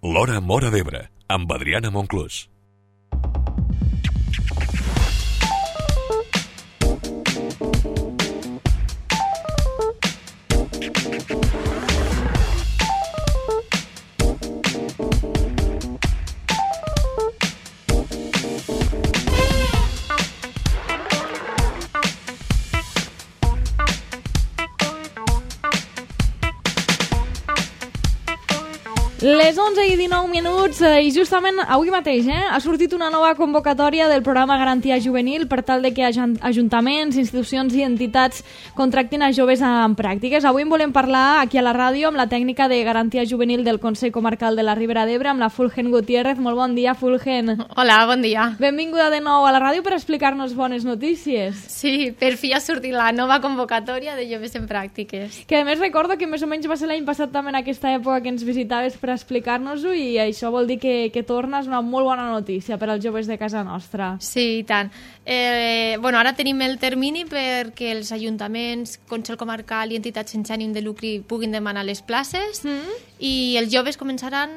L'Hora Móra d'Ebre, amb Adriana Monclús. Les 11:19 i justament avui mateix ha sortit una nova convocatòria del programa Garantia Juvenil per tal de que ajuntaments, institucions i entitats contractin a joves en pràctiques. Avui en volem parlar aquí a la ràdio amb la tècnica de Garantia Juvenil del Consell Comarcal de la Ribera d'Ebre, amb la Fulgen Gutiérrez. Molt bon dia, Fulgen. Hola, bon dia. Benvinguda de nou a la ràdio per explicar-nos bones notícies. Sí, per fi ha sortit la nova convocatòria de joves en pràctiques. Que a més recordo que més o menys va ser l'any passat també en aquesta època que ens visitaves per explicar-nos-ho, i això vol dir que torna. És una molt bona notícia per als joves de casa nostra. Sí, i tant. Ara tenim el termini perquè els ajuntaments, Consell Comarcal i entitats sense ànim de lucre puguin demanar les places i els joves començaran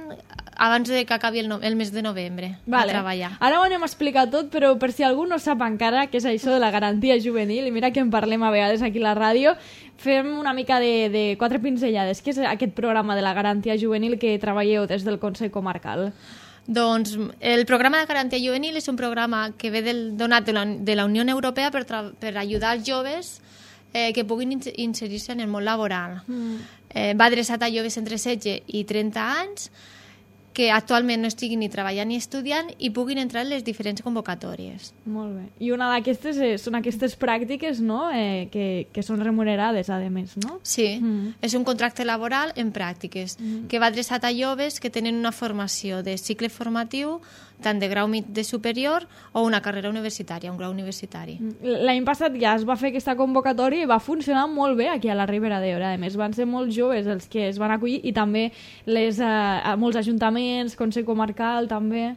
abans de que acabi el mes de novembre a treballar. Ara ho anem a explicar tot, però per si algú no sap encara què és això de la garantia juvenil, i mira que en parlem a vegades aquí a la ràdio, fem una mica de quatre pinzellades. Què és aquest programa de la garantia juvenil que treballeu des del Consell Comarcal? Doncs el programa de garantia juvenil és un programa que ve donat de la Unió Europea per ajudar els joves que puguin inserir-se en el món laboral. Va adreçat a joves entre 16 i 30 anys que actualment no estiguin ni treballant ni estudiant i puguin entrar en les diferents convocatòries. Molt bé. I una d'aquestes són aquestes pràctiques, no?, que són remunerades, a més, no? Sí, és un contracte laboral en pràctiques que va adreçat a joves que tenen una formació de cicle formatiu tant de grau de superior o una carrera universitària, un grau universitari. L'any passat ja es va fer aquesta convocatòria i va funcionar molt bé aquí a la Ribera d'Ebre. A més, van ser molt joves els que es van acollir i també molts ajuntaments, Consell Comarcal, també.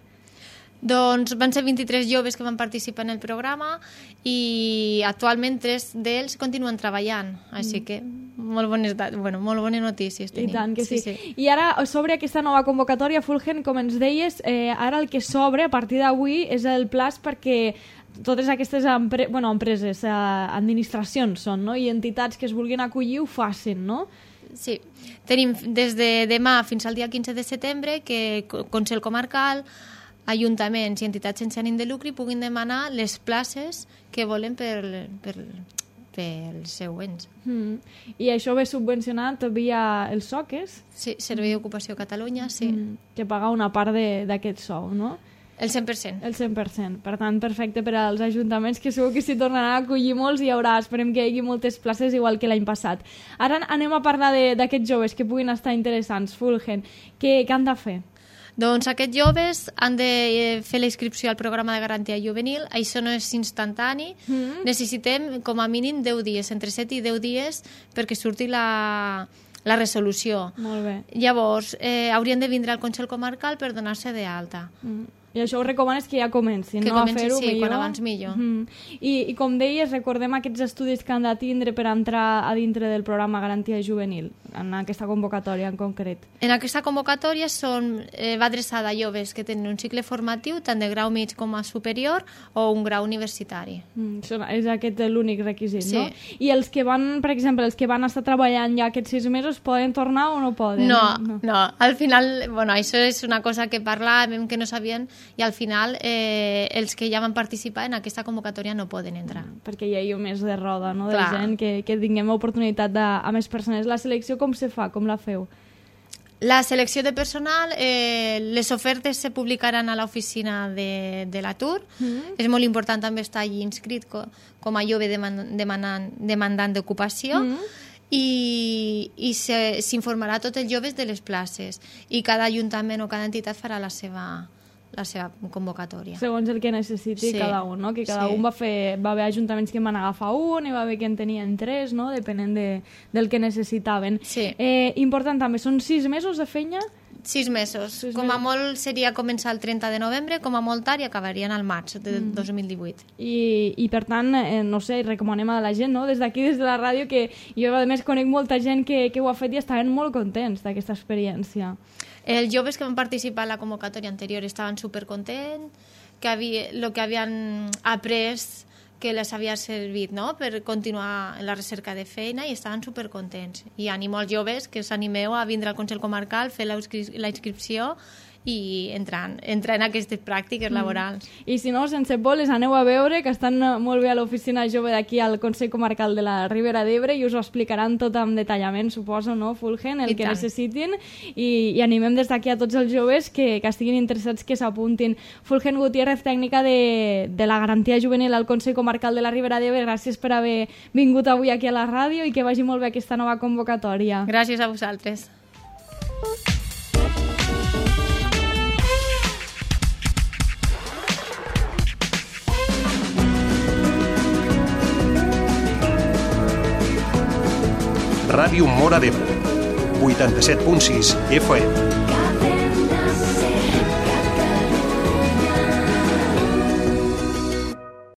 Doncs van ser 23 joves que van participar en el programa i actualment 3 d'ells continuen treballant, així que molt bones notícies tenim. I tant que sí. I ara, sobre aquesta nova convocatòria, Fulgen, com ens deies, ara el que s'obre a partir d'avui és el plaç perquè totes aquestes empreses, administracions són, no?, i entitats que es vulguin acollir ho facin, no? Sí, tenim des de demà fins al dia 15 de setembre que Consell Comarcal, ajuntaments i entitats sense ànim de lucre puguin demanar les places que volen pels següents. I això ve subvencionat via els SOCES? Sí, Servei d'Ocupació Catalunya, sí. Que paga una part d'aquest sou, no? El 100%. El 100%. Per tant, perfecte per als ajuntaments, que segur que s'hi tornaran a acollir molts i esperem que hi hagi moltes places igual que l'any passat. Ara anem a parlar d'aquests joves que puguin estar interessants, Fulgen. Què han de fer? Doncs aquests joves han de fer la inscripció al programa de garantia juvenil. Això no és instantani. Necessitem com a mínim 10 dies, entre 7 i 10 dies, perquè surti la resolució. Molt bé. Llavors, haurien de vindre al Consell Comarcal per donar-se d'alta. I això ho recomanes que ja comencin, no? A fer-ho millor. Sí, quan abans millor. I com deies, recordem aquests estudis que han de tindre per entrar a dintre del programa Garantia Juvenil, en aquesta convocatòria en concret. En aquesta convocatòria va adreçada a joves que tenen un cicle formatiu tant de grau mig com a superior o un grau universitari. És aquest l'únic requisit, sí. No? I els que van, per exemple, els que van estar treballant ja aquests 6 mesos, poden tornar o no poden? No. Al final, això és una cosa que parlàvem, que no sabien, i al final els que ja van participar en aquesta convocatòria no poden entrar. Perquè hi ha més de roda, no?, de Clar. gent que tinguem oportunitat a més persones. La selecció com se fa? Com la feu? La selecció de personal, les ofertes se publicaran a l'oficina de l'atur. És molt important també estar allí inscrit com a jove demandant d'ocupació. I s'informarà a tots els joves de les places i cada ajuntament o cada entitat farà la seva convocatòria. Segons el que necessiti cada un, no? Que cada un va haver ajuntaments que en van agafar un, i va haver que en tenien 3, no?, depenent del que necessitaven. Sí. Important també, són 6 mesos de feina? 6 mesos. Com a molt seria començar el 30 de novembre, com a molt tard, i acabarien al maig de 2018. I per tant, no sé, recomanem a la gent, no?, des d'aquí, des de la ràdio, que jo a més conec molta gent que ho ha fet i estaven molt contents d'aquesta experiència. Els joves que van participar en la convocatòria anterior estaven supercontents, el que havien après que les havia servit, no?, per continuar en la recerca de feina, i estaven supercontents. I animo als joves que us animeu a vindre al Consell Comarcal, fer la inscripció i entrar en aquestes pràctiques laborals. I si no, sense por, les aneu a veure, que estan molt bé a l'oficina jove d'aquí al Consell Comarcal de la Ribera d'Ebre, i us ho explicaran tot amb detallament, suposo, no, Fulgen, el que necessitin, i animem des d'aquí a tots els joves que estiguin interessats que s'apuntin. Fulgen Gutiérrez, tècnica de la garantia juvenil al Consell Comarcal de la Ribera d'Ebre, gràcies per haver vingut avui aquí a la ràdio i que vagi molt bé aquesta nova convocatòria. Gràcies a vosaltres. Ràdio Móra d'Ebre, 87.6 FM.